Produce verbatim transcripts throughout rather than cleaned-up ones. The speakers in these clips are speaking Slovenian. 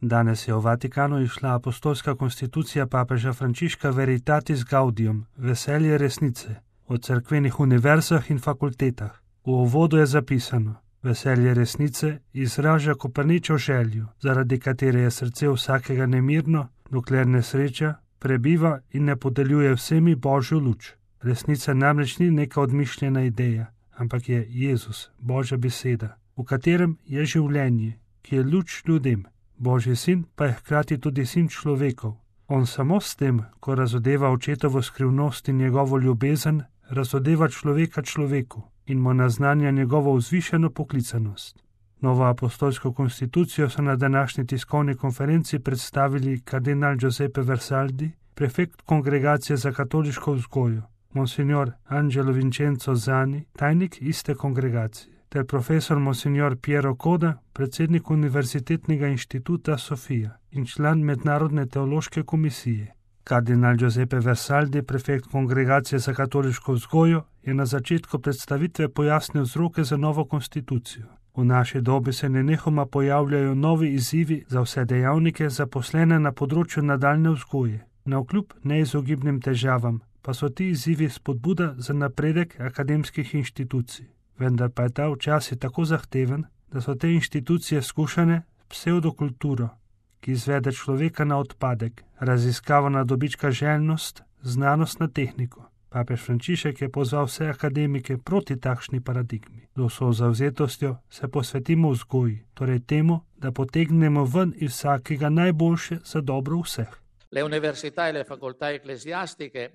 Danes je v Vatikanu izšla apostolska konstitucija papeža Frančiška Veritatis Gaudium, veselje resnice, o cerkvenih univerzah in fakultetah. V uvodu je zapisano: veselje resnice izraža Koperničev željo, zaradi katere je srce vsakega nemirno, dokler nesreča prebiva in ne podeljuje vsemi Božjo luč. Resnica namreč ni neka odmišljena ideja, ampak je Jezus, Božja beseda, v katerem je življenje, ki je luč ljudem. Božji sin pa je hkrati tudi sin človekov. On samo s tem, ko razodeva očetovo skrivnost in njegovo ljubezen, razodeva človeka človeku in mu naznanja njegovo vzvišeno poklicanost. Novo apostolsko konstitucijo so na današnji tiskovni konferenci predstavili kardinal Giuseppe Versaldi, prefekt Kongregacije za katoliško vzgojo, monsignor Angelo Vincenzo Zani, tajnik iste kongregacije, ter profesor monsignor Piero Coda, predsednik Univerzitetnega inštituta Sofia in član Mednarodne teološke komisije. Kardinal Giuseppe Versaldi, prefekt Kongregacije za katoliško vzgojo, je na začetku predstavitve pojasnil vzroke za novo konstitucijo. V naši dobi se nenehoma pojavljajo novi izzivi za vse dejavnike zaposlene na področju nadaljne vzgoje. Navkljub neizogibnim težavam pa so ti izzivi spodbuda za napredek akademskih inštitucij. Vendar pa je ta včasih tako zahteven, da so te inštitucije skušane pseudokulturo, ki izvede človeka na odpadek, raziskava na dobička željnost, znanost na tehniko. Papež Frančišek je pozval vse akademike proti takšni paradigmi. Z vso zavzetostjo se posvetimo vzgoji, torej temu, da potegnemo ven iz vsakega najboljše za dobro vseh. Le università e le facoltà ecclesiastiche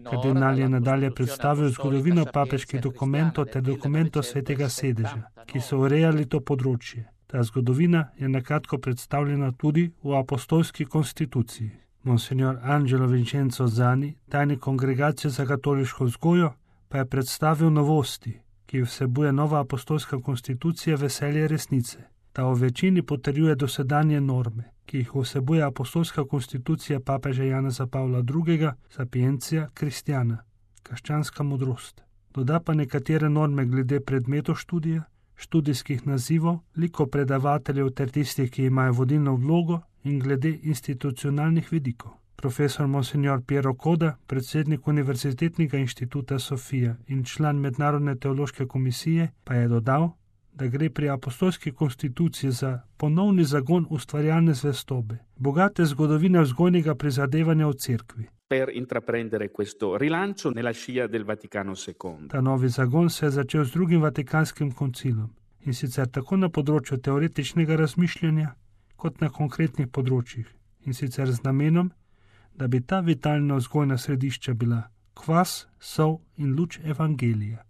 Kardinal je nadalje predstavil zgodovino papeških dokumentov ter dokumentov Svetega sedeža, ki so urejali to področje. Ta zgodovina je nakratko predstavljena tudi v apostolski konstituciji. Monsignor Angelo Vincenzo Zani, tajnik Kongregacije za katoliško vzgojo, pa je predstavil novosti, ki vsebuje nova apostolska konstitucija veselje resnice. Ta v večini potrjuje dosedanje norme, ki jih vsebuje apostolska konstitucija papeža Janeza Pavla drugega, Sapientia Christiana, krščanska modrost. Doda pa nekatere norme glede predmetov študija, študijskih nazivov, likov predavateljev ter tistih, ki imajo vodilno vlogo, in glede institucionalnih vidikov. Profesor monsignor Piero Coda, predsednik Univerzitetnega inštituta Sofia in član Mednarodne teološke komisije, pa je dodal, da gre pri apostolski konstituciji za ponovni zagon ustvarjalne zvestobe, bogate zgodovine vzgojnega prizadevanja v cerkvi. Per intraprendere questo rilancio nella scia del Vaticano secondo. Ta novi zagon se je začel z drugim Vatikanskim koncilom, in sicer tako na področju teoretičnega razmišljanja, kot na konkretnih področjih, in sicer z namenom, da bi ta vitalna vzgojna središča bila kvas, sol in luč evangelija.